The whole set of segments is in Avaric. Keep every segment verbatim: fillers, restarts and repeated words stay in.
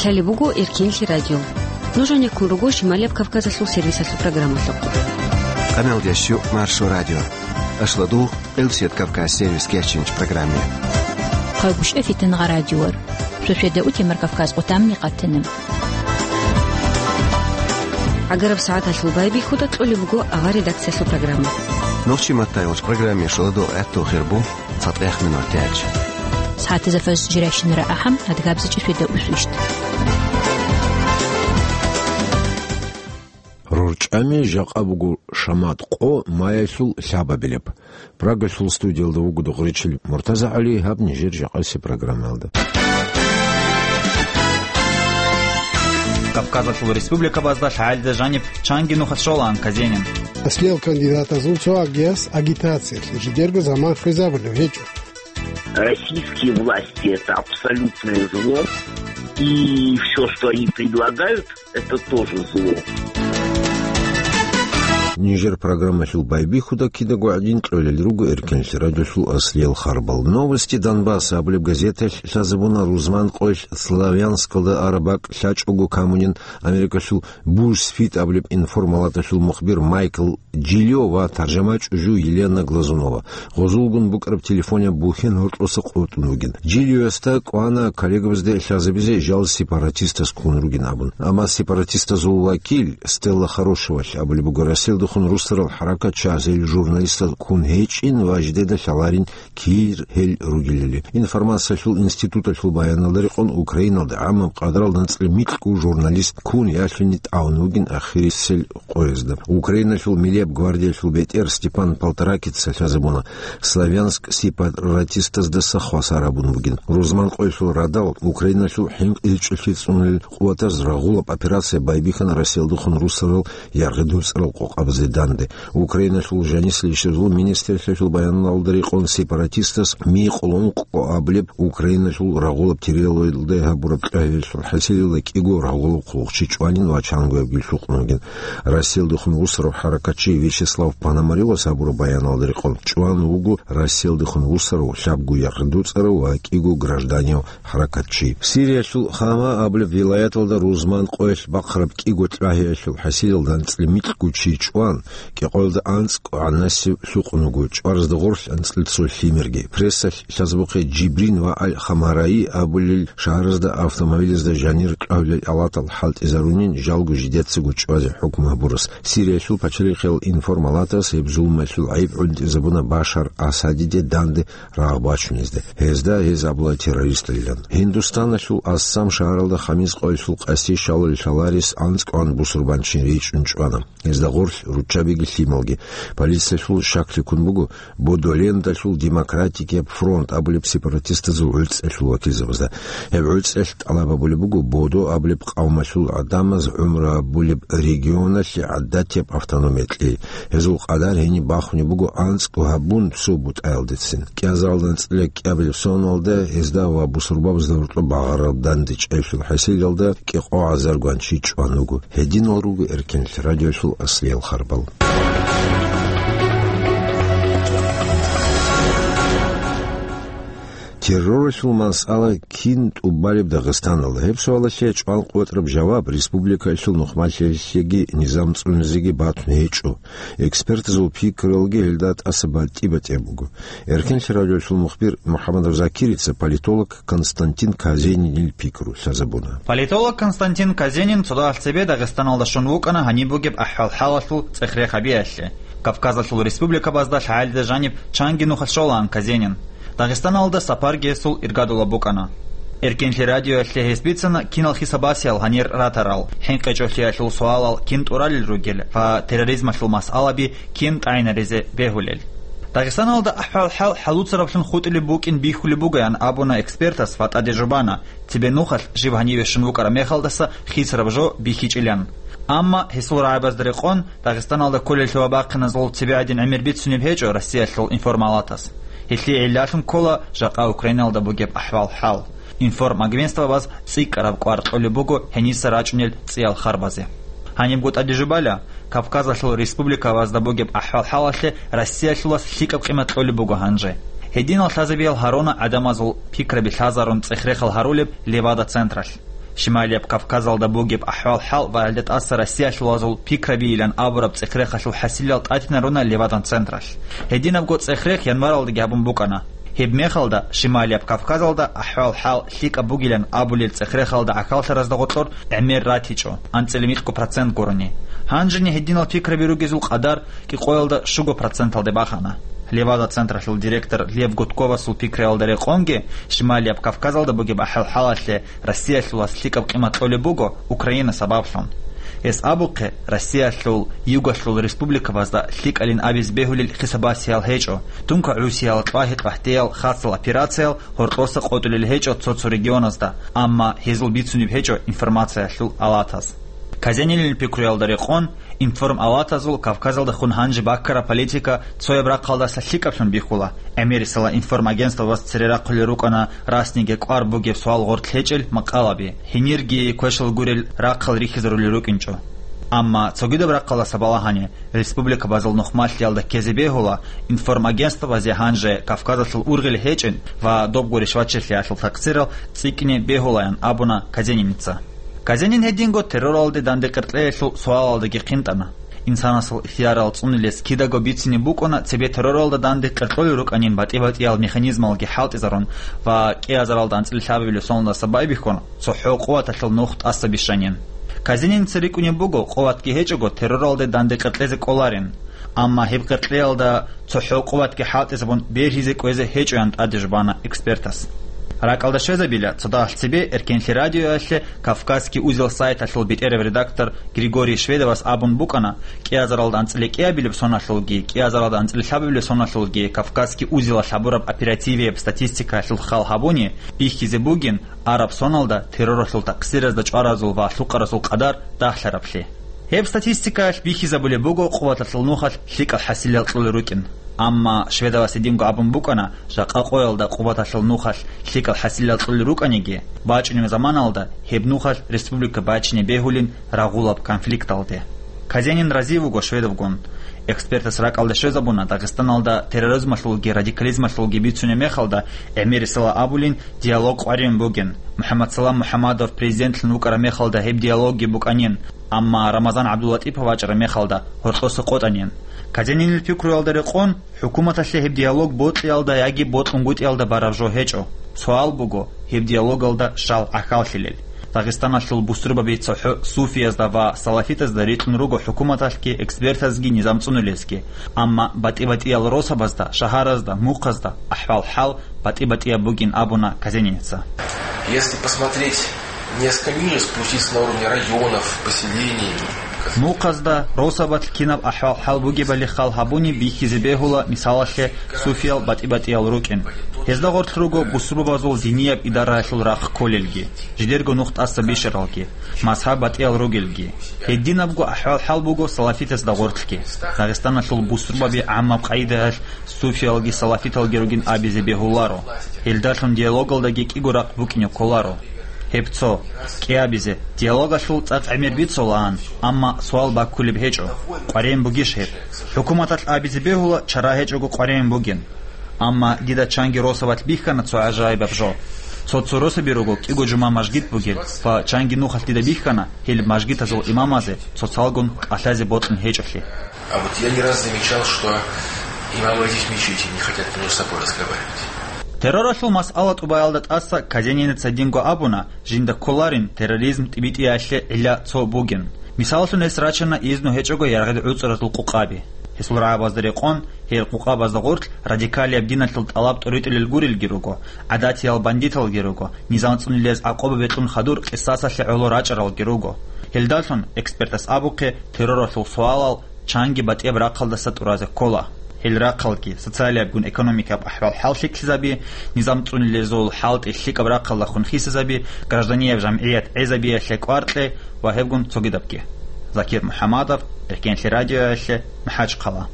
Гьале буго Эркенлъи радио. Нуж гьанеккун руго Шималияб Кавказалъул сервисалъул программалъухъ. Къамелдеш Маршо радио. Ашладу, Къилсият Кавказ сервис кечинч программе. Хъагушев Фитнагъа радиор. Шошведа утемар Кавказ къутамни къатинаб. ГӀагараб сагӀаталъул байбихьуда кьолеб буго авар редакциялъул программа. Нохчи маттайолч программе шуладо гӀатту хирбу. ЦатӀех минут тяч. СагӀатазда фаз жирайщинара ахӀам, адгабзичӀи феда усвищт. РорчӀами жакъа буго шамат къо маялъул лъабабилеб. Прагалъул студиялда вуго духъричил МуртазагӀали, гьаб нижер жакъаси программалда. Кавказалъул республикабазда лъагӀалида жаниб чанги нухалъ щолаан Казенин. Аслиял кандидатазул цо агияс агитациялъе жидерго заман хвезабулев гьечӀо. Российские власти — это абсолютное зло, и всё, что они предлагают, это тоже зло. Нижер программалъул байбихьуда кидаго гӀадин кьолел руго Эркенлъи радиолъул аслиял харбал. «Новости Донбасса» абулеб газеталъ лъазабуна рузман къоялъ Славянскалда араб бакӀ лъачӀого камунин Америкалъул «Бузфит» абулеб информалаталъул мухбир Майкл Джилё ва таржамачӀужу Елена Глазунова. Гъозулгун букӀараб телефонияб бухьен гьоркьоса къотӀун вугин. Джилёсда кӀвана коллегабазде лъазабизе жал сепаратистас ккун ругин абун. Амма сепаратистазул вакил Стелла Хорошевалъ абулеб буго, Россиялдехун руссарал хӀаракат чагӀазел журналистал ккун гьечӀин ва жидеда лъаларин кир гьел ругелали. Информациялъул институталъул баяналда рекъон, Украиналда гӀамаб къадралда анцӀила микьго журналист ккун ялъуни тӀагӀун вугин ахирисел къоязда. Украиналъул милияб гвардиялъул бетӀер Степан Полторакица лъазабуна, Славянск сепаратистаздаса хвасар гьабун бугин. Рузман къоялъул радал Украиналъул хӀинкъичӀлъи цӀунулел къуватаз рагъулаб операция байбихьана Россиялдехун руссарал яргъи дуцӀарал къокъабазе данде. Украиналъул жанисел ишазул министрлъиялъул баяналда рекъон, сепаратистас Ми къулун къо абулеб Украиналъул рагъулаб территориялда гьабураб кьвагьиялъул хӀасилалда кӀиго рагъулаб хъулухъчи чӀванин ва чангоябги лъукъун вугин. Россиялдехун вусарав хӀаракатчи Вячеслав Пономарёвас гьабураб баяналда рекъон, чӀван вуго Россиялдехун вусарав, лъабго яргъи дуцӀарав ва кӀиго гражданияв хӀаракатчи. Сириялъул Хама абулеб вилаяталда рузман къоялъ бахъараб кӀиго кьвагьиялъул хӀасилалда анцӀила микьго чи чӀван, кӀикъоялда анцӀ кӀванасеб лъукъун вуго, чӀваразда гъорлъ анцӀила цо лъимерги. Прессалъ лъазабухъе Джибрин ва Аль-Хамараи абулел шагьаразда автомобилазда жанир кьвагьулел алатал хӀалтӀизарунин, жалго жидецаго чӀвазе хӀукму гьабурас. Сириялъул пачалихъиял информалатас гьеб зулмалъул гӀайиб гӀунтӀизабуна Башар Асадиде данде рагъ бачунезда. Гьезда гьез абула террористайилан. Гьиндустаналъул Ассам шагьаралда Хамис къоялъул къаси щалал лъаларес анцӀ кӀван бусурбанчин ричӀчӀун чӀвана. Гьезда гъорлъ руччабиги лъималги. Полициялъул щаклъи ккун буго, Бодолендалъул Демократикияб фронт абулеб сепаратистазул гӀуцӀелъул вакилзабазда. Гьеб гӀуцӀелъ тӀалаб гьабулеб буго Бодо абулеб къавмалъул гӀадамаз гӀумру гьабулеб регионалъе гӀадатияб автономия кьей. Гьезул къадар гьениб бахунеб буго анцӀго гьабун цо бутӀаялдецин. КӀиазаралда анцӀила кӀиабилеб соналда гьезда ва бусурбабазда гьоркьоб багъараб дандечӀеблъул хӀасилалда кӀикъо гӀазар гванчи чӀван вуго. Гьединал руго Эркенлъи радиолъул аслиял харбал. Терроралъул масъала кин тӀубалеб Дагъистаналда? Гьеб суалалъе чӀван къотӀраб жаваб республикаялъул нухмалъиялъеги низам цӀунизеги батун гьечӀо. Экспертазул пикруялги гьелда тӀаса батӀи-батӀияб буго. Эркенлъи радиолъул мухбир МухӀаммадов Закирица политолог Константин Казенинил пикру лъазабуна. Политолог Константин Казенин цо дагьалъ цебе Дагъистаналда щун вукӀана гьаниб бугеб ахӀвал-хӀалалъул цӀех-рех гьабиялъе. Кавказалъул республикабазда лъагӀалида жаниб чанги нухалъ щолаан Казенин. Дагъистаналда сапарги гьесул иргадулаб букӀана. Эркенлъи радиоялъе гьес бицана кинал хьисабасиял гьанир ратарал, хӀинкъичӀолъиялъул суалал кин тӀуралел ругел ва терроризмалъул масъалаби кин тӀагӀинаризе бегьулел. Дагъистаналда ахӀвал-хӀал хӀалуцараблъун хутӀулеб букӀин бихьулеб бугоян абуна экспертас ва тӀаде жубана, цебе нухалъ жиб гьаниве щун вукӀараб мехалдаса хисараб жо бихьичӀилан. Амма гьесул рагӀабазда рекъон, Дагъистаналда кколеллъи ва бахъиназул цебе гӀадин гӀемер бицунеб гьечӀо Россиялъул информалатас. Гьелъие гӀиллалъун ккола жакъа Украиналда бугеб ахӀвал-хӀал. Информагентствабаз цӀикӀкӀараб кӀвар кьолеб буго гьениса рачӀунел цӀиял харбазе. Гьанибго тӀаде жубала, Кавказалъул республикабазда бугеб ахӀвал-хӀалалъе Россиялъулас лъикӀаб къимат кьолеб буго гьанже. Гьединал лъазабиял гьаруна гӀадамазул пикраби лъазарун цӀех-рехал гьарулеб Левада-централъ. Шималияб Кавказалда бугеб ахӀвал-хӀал ва гьелда тӀаса Россиялъулазул пикрабийилан абураб цӀех-рехалъул хӀасилал тӀатинаруна Левадан централъ. Гьединабго цӀех-рех январалдаги гьабун букӀана. Гьеб мехалда Шималияб Кавказалда ахӀвал-хӀал лъикӀаб бугилан абулел цӀех-рехалда гӀахьаллъаразда гъоркьор гӀемер ратичӀо, анцӀила микьго процент гурони. Гьанжеги гьединал пикраби ругезул къадар кӀикъоялда щуго проценталде бахана. Левада централъул директор Лев Гудковасул пикраялда рекъонги, Шималияб Кавказалда бугеб ахӀвал-хӀалалъе Россиялъулас лъикӀаб къимат кьолеб буго Украина сабаблъун. Гьес абухъе, Россиялъул югалъул республикабазда лъикӀалин абизе бегьулел хисабасиял гьечӀо, тункагӀусиял кьвагьи-кьвагьтиял хасал операциял гьоркьоса къотӀулел гьечӀо цо-цо регионазда, амма гьезул бицунеб гьечӀо информациялъул алатаз. Казенинил пикруялда рекъон, информалатазул Кавказалдахун гьанже баккараб политика цояб рахъалдаса лъикӀаблъун бихьула. ГӀемерисела информагентствабаз цере рахъулел рукӀана расниги кӀвар бугеб суал гъоркь гьечӀел макъалаби, гьенирги квешал гурел рахъал рихьизарулел рукӀинчӀо. Амма цогидаб рахъалдаса балагьани, республикабазул нухмалъиялда ккезе бегьула, информагентствабазе гьанже Кавказалъул ургъел гьечӀин ва добго ришвачилъиялъул такъсирал цӀикӀкӀине бегьулаян абуна Казениница. Казенин гьединго терроралде дандекъеркьеялъул суалалдаги хъинтӀана. Инсанасул ихтиярал цӀунилес кидаго бицине букӀуна цебе терроралда дандекъеркьолел рукӀанин батӀи-батӀиял механизмалги хӀалтӀизарун ва кӀиазаралда анцӀила лъабабилеб соналдаса байбихьун цохӀо къуваталъул нух тӀаса бищанин. Казениница рикӀкӀунеб буго, къуватги гьечӀого терроралде дандекъеркьезе кӀоларин. Амма гьеб къеркьеялда цохӀо къуватги хӀалтӀизабун бергьизе кӀвезе гьечӀоян тӀаде жубана экспертас. РакӀалда щвезабила, цо дагьалъ цебе Эркенлъи радиоялъе Кавказский узел сайталъул бетӀерав редактор Григорий Шведовас абун букӀана, кӀиазаралда анцӀила кӀиабилеб соналъулги, кӀиазаралда анцӀила лъабабилеб соналъулги Кавказский узелалъ гьабураб оперативияб статистикаялъул хал гьабуни, бихьизе бугин араб соналда терроралъул такъсиразда чӀваразул ва лъукъаразул къадар дагьлъараблъи. Гьеб статистикаялъ бихьизабулеб буго къуваталъул нухалъ лъикӀал хӀасилал кьолел рукӀин. Амма Шведовас гьединго абун букӀана, жакъа къоялда къуваталъул нухалъ лъикӀал хӀасилал кьолел рукӀаниги, бачӀунеб заманалда гьеб нухалъ республика бачине бегьулин рагъулаб конфликталде. Казенин разив вуго Шведовгун. Экспертас ракӀалда щвезабуна, Дагъистаналда терроризмалъулги радикализмалъулги бицунеб мехалда, гӀемерисела абулин, диалог къваригӀун бугин. МухӀаммадсалам МухӀаммадов президентлъун вукӀараб мехалда гьеб диалогги букӀанин, амма Рамазан ГӀабдуллатӀипов вачӀараб мехалда гьоркьоса къотӀанин. Казенинил пикруялда рекъон, хӀукуматалъе гьеб диалог бокьиялда яги бокьунгутӀиялда бараб жо гьечӀо. Суал буго, гьеб диалогалда щал гӀахьаллъилел. Дагъистаналъул бусурбаби цохӀо суфиязда ва салафитазда рикьун руго хӀукуматалъги экспертазги низам цӀунулезги. Амма батӀи-батӀиял росабазда, шагьаразда, мухъазда ахӀвал-хӀал батӀи-батӀияб бугин абуна Казениница. Если посмотреть несколько ниже, спуститься на уровне районов, поселений. Мухъазда, росабалъ кинаб ахӀвал-хӀал бугебали хал гьабуни бихьизе бегьула, мисалалъе, суфиял батӀи-батӀиял рукӀин. Гьезда гъорлъ руго бусурбабазул динияб идараялъул рахъ кколелги, жидерго нух тӀаса бищаралги, мазгьаб батӀиял ругелги. Гьединабго ахӀвал-хӀал буго салафитазда гъорлъги. Дагъистаналъул бусурбаби гӀаммаб къайдаялъ суфиялги салафиталги ругин абизе бегьуларо. Гьелдалъун диалогалдаги кӀиго рахъ букӀине кколаро. Гьеб цо, кӀиабизе, диалогалъул цӀакъ гӀемер бицулаан, амма суал баккулеб гьечӀо, къваригӀун бугищ гьеб? ХӀукуматалъ абизе бегьула, чара гьечӀого къваригӀун бугин. Амма дида чанги росабалъ бихьана цо гӀажаибаб жо. Цо-цо росаби руго кӀиго жума мажгит бугел ва чанги нухалъ дида бихьана гьел мажгитазул имамазе цоцалгун кӀалъазе бокьун гьечӀолъи. А вот я не раз замечал, что имамы этих мечетей не хотят между собой разговаривать. Терроралъул масъала тӀубаялда тӀаса Казениница гьединго абуна, жинда кколарин терроризм тӀибитӀиялъе гӀилла цо бугин. Мисаллъун, гьес рачана изну гьечӀого яргъи гӀуцӀаразул къукъаби. Гьесул рагӀабазда рекъон, гьел къукъабазда гъорлъ радикалияб диналъул тӀалаб тӀуритӀулел гурелги руго, гӀадатиял бандиталги руго, низам цӀунилез гӀакъуба бекьун хадур къисасалъе гӀоло рачӀаралги руго. Гьелдалъун, экспертас абухъе, терроралъул суалал чанги батӀияб рахъалдаса тӀуразе ккола. Гьел рахъалги социалиябгун экономикаб ахӀвал-хӀал лъикӀлъизаби, низам цӀунилезул хӀалтӀи лъикӀаб рахъалдахун хисизаби, гражданияб жамгӀият гӀезабиялъе кӀвар кье ва гьебгун цогидабги. Закир МухӀаммадов, Эркенлъи радиоялъе, МахӀачхъала.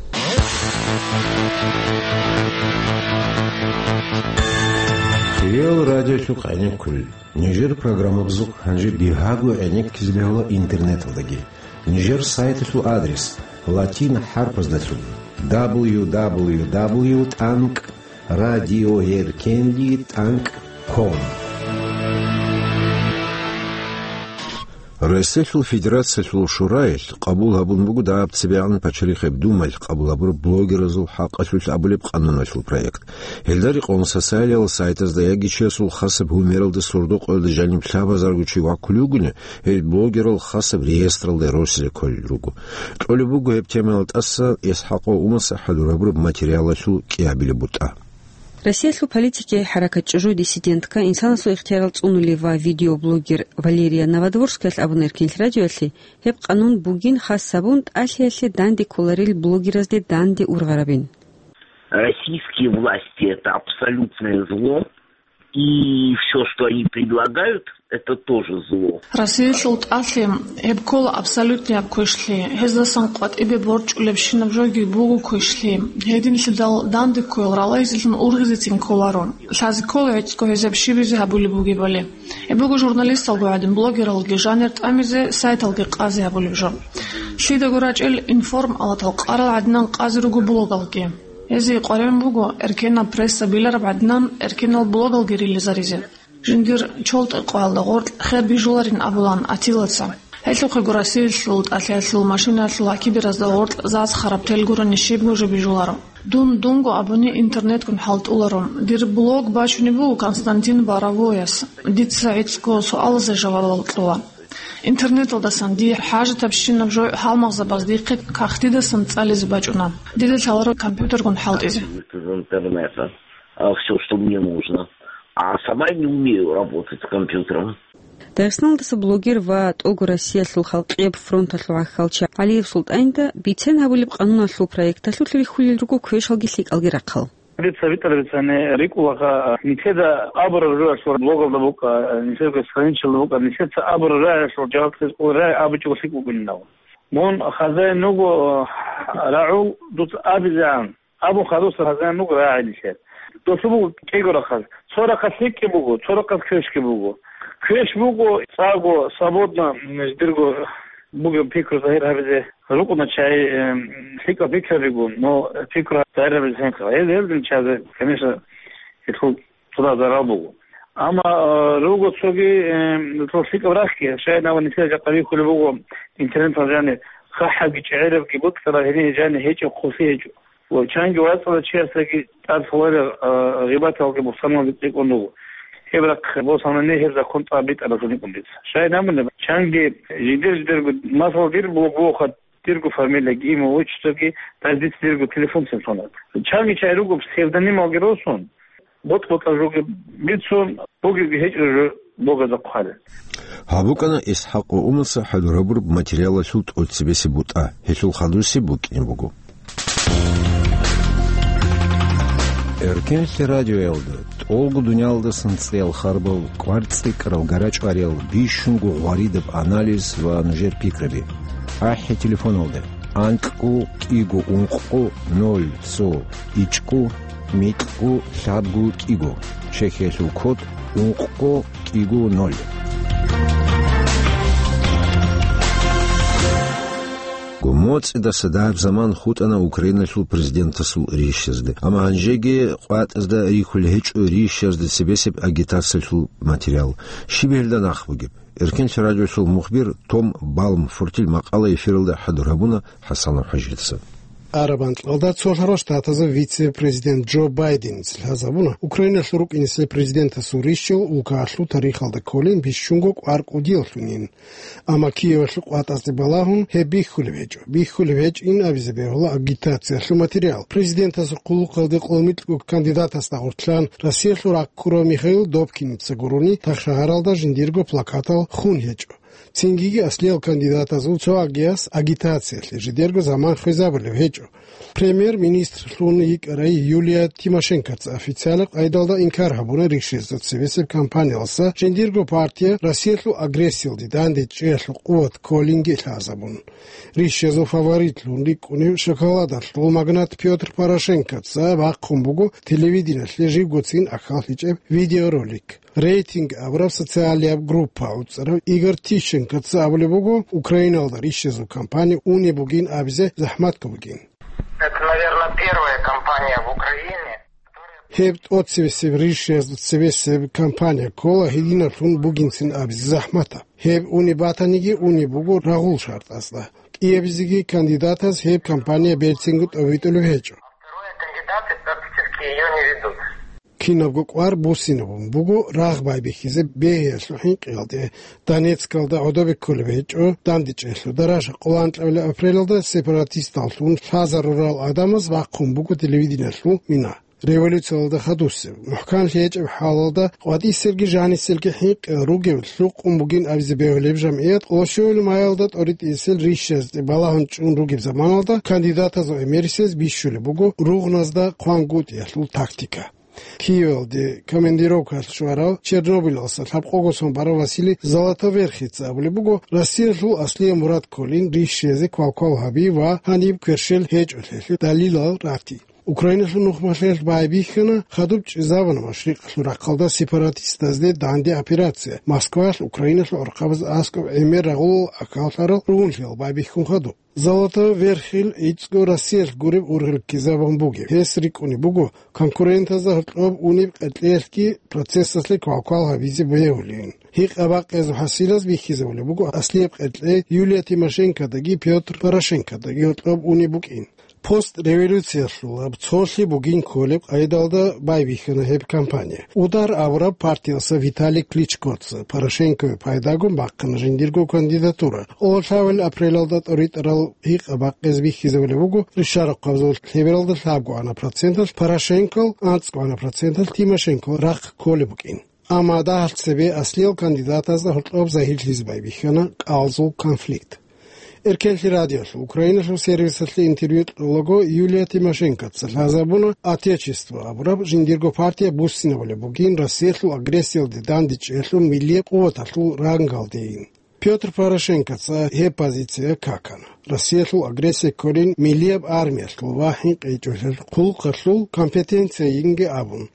Реал радиолъухъ гӀенеккулел. Нижер программабазухъ гьанже бигьаго гӀенеккизе бегьула интернеталдаги. Нижер сайталъул адрес: латин хӀарпаздалъун: дабл ю дабл ю дабл ю тӀанкӀ радиоэркенлъи тӀанкӀ ком. Россиялъул Федерациялъул Шураялъ къабул гьабун буго дагьаб цебегӀан пачалихъеб Думаялъ къабул гьабураб блогеразул хӀакъалъулъ абулеб къануналъул проект. Гьелда рекъон социалиял сайтазда яги чиясул хасаб гьумералда сордо-къоялда жаниб лъабазарго чи ваккулев вугони, гьел блогерал хасаб реестралда росизе кколел руго. Кьолеб буго гьеб темаялда тӀаса ИсхӀакъов Умаса хӀалурабураб материалалъул кӀиабилеб бутӀа. Россиялъул политики, хӀаракат «Чужой диссидентка», инсанасул ихтиярал цӀунулев ва видеоблогер Валерия Новодворскиялъ абуна Эркенлъ радиоялъе, гьеб къанун бугин хас гьабун тӀалъиялъе данде кколарел блогеразде данде ургъарабин. Российские власти — это абсолютное зло, и все, что они предлагают, это тоже зло. Россиялъул тӀалъи гьеб ккола абсолютнияб квешлъи. Гьездасан къватӀибе борчӀулебщинаб жоги буго квешлъи. Гьединлъидал данде ккоял ралайзелъун ургъизецин кколаро. Лъазе ккола гӀицӀго гьезаб щибизе гьабулеб бугебали. Гьеб буго журналисталго гӀадин, блогералги жанир тӀамизе, сайталги къазе гьабулеб жо. Лъидаго рачӀел информалатал къарал гӀадинан къазе руго блогалги. Гьезие къваригӀун буго, эркенаб пресса билараб гӀадинан, эркенал блогалги рилизаризе. Жиндир чолтӀе къоялда гъоркь хер бижуларин абулан Атилаца. Гьелъухъего Россиялъул тӀалъиялъул машинаялъул гьакиберазда гъоркь заз хараб тел гурони щибго жо бижуларо. Дун дунго абуни интернетгун хӀалтӀуларо. Дир блог бачунеб буго Константин Боровояс. Дица гӀицӀго суалазе жавабал кьола. Интернеталдасан дие хӀажатабщинаб жо гьалмагъзабаз дихъе кагътидасан цӀализе бачӀуна. Дида лъаларо компьютергун хӀалтӀизе. Из интернета, а, всё, что мне нужно. А сама не умею работать с компьютером. Дагъистаналдаса блогер ва тӀого Россиялъул халкъияб фронталъул гӀахьалчи ГӀалиев СултӀанида бицен гьабулеб къануналъул проекталъулъ рихьулел руго квешалги лъикӀалги рахъал. Дица битӀарабицани рикӀкӀунаха, нилъеда абураб жоялъул блогалда букӀа, нилъерго страничалда букӀа, нилъеца абураб жоялъул жаваб кьезе кӀоларай абичӀого лъикӀ букӀунин. Мун хазаин вуго рагӀул, дуца абизегӀан. Абун хадуса хазаин вуго рагӀи нилъер. Досу буго кӀиго рахъаз. Цо рахъаз лъикӀги буго, цо рахъаз квешги буго. Квеш буго, цӀакъго, свободно, м, жидерго бугеб пикру загьир гьабизе рукӀуна чагӀи, м, лъикӀаб пикрабигун, но пикру загьир гьабизе хӀинкъа. Гьел, гьелдин чагӀазе, конечно, гьелъул цо зарал буго. Амма, э, руго цоги, э, цо лъикӀаб рахьги, шайинаб нилъер жакъа бихьулеб буго интернеталда жаниб, хъахӀабги чӀегӀерабги букӀараб гьениб жаниб гьечӀеб хъулъи гьечӀо. Ва чанги вацӀцӀадав чиясдаги тӀад лъаларел, э, гъибаталги бухӀсаналги цӀикӀкӀун руго. Гьеб рахъ босанани гьеб закон цӀакъ битӀараб жо букӀун дица. Шайинаб чанги жидер-жидерго, масала, дир блог бугоха, дирго фамилияги, имя, отчествоги, даже дица дирго телефонцин сонаб. Чанги чагӀи руго псевдонималги росун, бокь-бокьараб жоги бицун, бугебги гьечӀебги жо блогазда хъвалел. Гьаб букӀана ИсхӀакъ ва Умаса хӀалурабураб материалалъул тӀоцебесеб бутӀа, гьелъул хадусеб букӀине буго. Эркенлъи радиоялда тӀолго дуниялдасан цӀеял харбал, кӀвар цӀикӀкӀарал, гарачӀвариял, бищунго гъваридаб анализ ва нужер пикраби. АхӀи телефоналда: анкьго кӀиго ункъго ноль цо ичӀго микьго лъабго кӀиго, Чехиялъул код ункъго кӀиго ноль. МоцӀидаса дагьаб заман хутӀана Украиналъул президентасул рищазда. Амма гьанжеги къватӀазда рихьулел гьечӀо рищазда цебесеб агитациялъул материал. Щиб гьелда нахъ бугеб? Эркенлъи радиоялъул мухбир Том Балмфортил макъала эфиралда хӀадур гьабуна ХӀасанов ХӀажица. Араб анкьалда цолъарал штатазул вице-президент Джо Байденица лъазабуна, Украиналъул рукӀинесул президентасул рищал улкаялъул тарихалда кколин бищунго кӀвар кӀудияллъунин. Амма Киевалъул къватӀазде балагьун гьеб бихьулеб гьечӀо. Бихьулеб гьечӀин абизе бегьула агитациялъул материал. Президентасул хъулухъалде къолмикьго кандидатасда гъорлъ Россиялъул раккурав Михаил Добкиница гурони, тахшагьаралда жиндирго плакатал хун гьечӀо. Цинги аслиял кандидатазул цоагияс агитациялъе жидерго заман хвезабулеб гьечӀо. Премьер-министрлъун йикӀарай Юлия Тимошенкоца официалаб къайдалда инкар гьабуна рищезул цебесеб кампаниялдаса жиндирго партия Россиялъул агрессиялде дандечӀеялъул къуват кколинги лъазабун. Рищезул фаворитлъун рикӀкӀунев шоколадалъул магнат Пётр Порошенкоца бахъун буго телевидениялъе живгоцин ахӀаллъичӀеб видеоролик. Рейтинг абураб социалияб группа уцӀарав Игорь Тищенкоца абулеб буго, Украиналда рищезул кампания унеб бугин абизе захӀматго бугин. Это, наверное, первая кампания в Украине, которая Гьеб тӀоцебесеб ришшиязда цебесеб кампания ккола гьединаблъун бугинцин абизе захӀматаб. Гьеб унеб батаниги унеб буго рагъул шартӀазда. КӀиабизеги кандидатаз гьеб кампания берцинго тӀобитӀулеб гьечӀо. Второй кандидаты практически её не ведут. Кинабго кӀвар буссинабун буго рагъ байбихьизе бегьиялъул хӀинкъиялде. Донецкалда гӀодобе кколеб гьечӀо дандечӀелъул даража. Къоло анкьабилеб апрелалда сепаратисталлъун лъазарурал гӀадамаз бахъун буго телевидениялъул мина. Революциялда хадусеб, мухӀканлъи гьечӀеб хӀалалда къватӀисебги жанисебги хӀинкъи ругеб лъукъун бугин абизе бегьулеб жамгӀият къоло щуябилеб майалда тӀоритӀисел ришшазде балагьун чӀун ругеб заманалда кандидатазул гӀемерисез бищулеб буго ругъназда хъван гутӀиялъул тактика. Киевалде командировкаялъ щварав Чернобылалъуса лъабкъого сон барав Василий Золотоверхица абулеб буго, Россиялъул аслияб мурад кколин ришшизе квалквал гьаби ва гьаниб кверщел гьечӀолъиялъе далилал рати. Украиналъул нухмалъиялъ байбихьана, хадуб чӀезабуна машрикъалъул рахъалда сепаратистазде данде операция, Москваялъ Украиналъул гӀурхъабаз аскӀоб гӀемер рагъулал акаллъарал ругьунлъиялъ байбихьун хадуб. Золотоверхил гӀицӀго Россиялъ гуреб ургъел ккезабун бугеб. Гьес рикӀкӀунеб буго конкурентазда гьоркьоб унеб къеркьеялъги процессалъе квалквал гьабизе бегьулин. Гьикъа-бакъиязул хӀасилаз бихьизабулеб буго аслияб къеркьей Юлия Тимошенкодаги Пётр Порошенкодаги гьоркьоб унеб букӀин. Постреволюциялъул гьаб цолъи бугин кколеб къайдалда байбихьана гьеб кампания. Удар абураб партиялъа Виталий Кличкоца Порошенкове пайдагун бахъана жиндирго кандидатура. Къоло лъабабилеб апрелалда тӀоритӀарал гьикъа-бакъиз бихьизабулеб буго, ришарахъабазул лъебералда лъабгоана проценталъ Порошенкол, анцӀгоана проценталъ Тимошенкол рахъ кколеб букӀин. Амма дагьалъ цебе аслиял кандидатазда гьоркьоб загьирлъизе байбихьана кӀалзул конфликт. Эркенлъи радиолъул Украиналъул сервисалъе интервью кьолаго Юлия Тимошенкоца лъазабуна Отечество абураб жиндирго партия буссинабулеб бугин Россиялъул агрессиялде дандечӀелъул миллияб къуваталъул рангалдейин. Пётр Порошенкоца гьеб позиция какана. Россиялъул агрессия кколин миллияб армиялъул ва хӀинкъичӀолъиялъул хъулухъалъул компетенциайинги абун.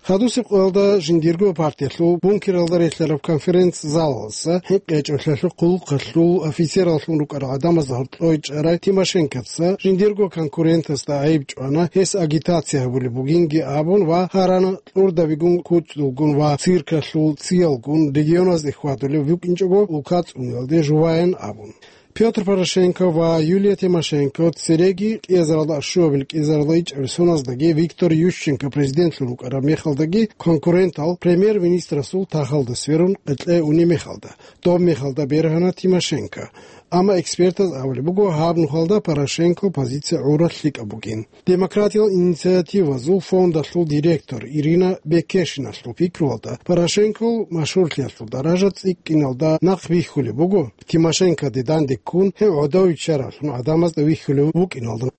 Хадусеб къоялда жиндирго партиялъул бункералда релълъараб конференц-залалъа хӀинкъичӀолъиялъул хъулухъалъул офицераллъун рукӀарал гӀадамазда гьоркьой чӀарай Тимошенкоца жиндирго конкурентасда гӀайиб чӀвана, гьес агитация гьабулеб бугинги абун ва гьарана кьурдабигун, кучӀдулгун ва циркалъул циялгун регионазде хьвадулеб букӀинчӀого улка цӀуниялде жуваян абун. Пётр Порошенко ва Юлия Тимошенко цереги кӀиазаралда, щуабилеб кӀиазаралда ичӀабилеб соназдаги Виктор Ющенко президентлъун вукӀараб мехалдаги конкурентал премьер-министрасул тахалда сверун къеркьей унеб мехалда, доб мехалда бергьана Тимошенко. Амма экспертаз абулеб буго, гьаб нухалда Порошенкол позиция гӀурал лъикӀаб бугин. Демократиял инициативазул фондалъул директор Ирина Бекешиналъул пикруялда, Порошенкол машгьурлъиялъул даража цӀикӀкӀиналда нахъ бихьулеб буго, Тимошенкоде данде ккун, гьев гӀодов виччаравлъун гӀадамазда вихьулев вукӀиналда.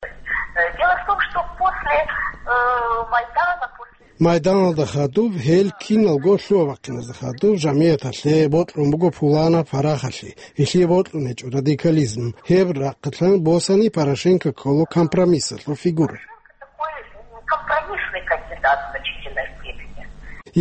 Дело в том, что после, э, Майдана, после Майданалда хадуб, гьел киналго лъугьа-бахъиназда хадуб, жамигӀаталъе бокьун буго пуланаб парахалъи, гьелъие бокьун гьечӀо радикализм. Гьеб рахъалъан босани Порошенко ккола компромиссалъул фигура. Такой компромиссный кандидат в значительной степени.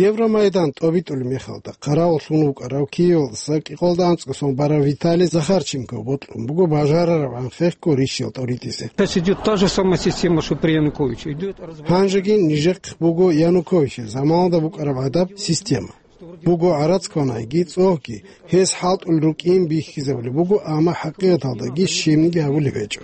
Евромайдан тӀобитӀулеб мехалда, хъаравуллъун вукӀарав Киевалдаса кӀикъоялда анцӀго сон барав Виталий Захарченко бокьун буго бажарараб анхъехго ришиял тӀоритӀизе. Сейчас идёт та же самая система, что при Януковиче. Идёт развал. Гьанжеги нижехъ буго Януковичил заманалда букӀараб гӀадаб система. Буго гӀарац кванайги цӀогьги, гьес хӀалтӀулел рукӀин бихьизабулеб буго, амма хӀакъикъаталдаги щибниги гьабулеб гьечӀо.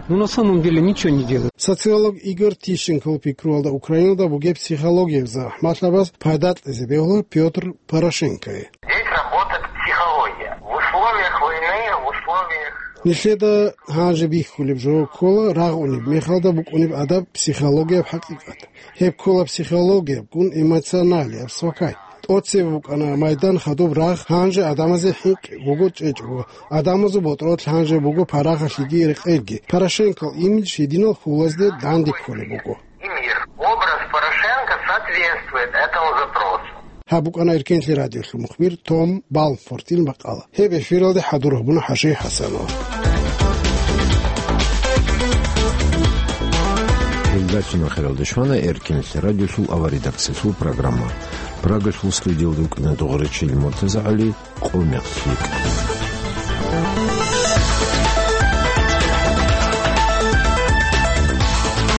Ну, на самом деле ничего не делает. Социолог Игорь Тищенкол пикруялда Украиналда бугеб психологияб захӀмалъабаз пайда кьезе бегьула Пётр Порошенкое. Здесь работает психология. В условиях войны, в условиях Нилъеда гьанже бихьулеб жо ккола рагъунеб мехалда букӀунеб гӀадаб психологияб хӀакъикъат. Гьеб ккола психологиябгун эмоционалияб свакай. ТӀоцебе букӀана Майдан хадуб рагъ, гьанже гӀадамазе хӀинкъи буго чӀечӀого, гӀадамазул ботӀролъ гьанже буго парахалъиги рекъелги. Порошенкол имидж гьединал хьулазде данде кколеб буго. И мир. Образ Порошенко соответствует этому запросу. Гьаб букӀана Эркенлъи радиолъул мухбир Том Балмфортил макъала. Гьеб эфиралде хӀадур гьабуна ХӀажи ХӀасанов. Передача нахиралде щвана Эркенлъи радиолъул аваридакциясул программа. Прагалъул студиялда вукӀана дугӀурчи Муртаза ГӀали. Къо мехлъи.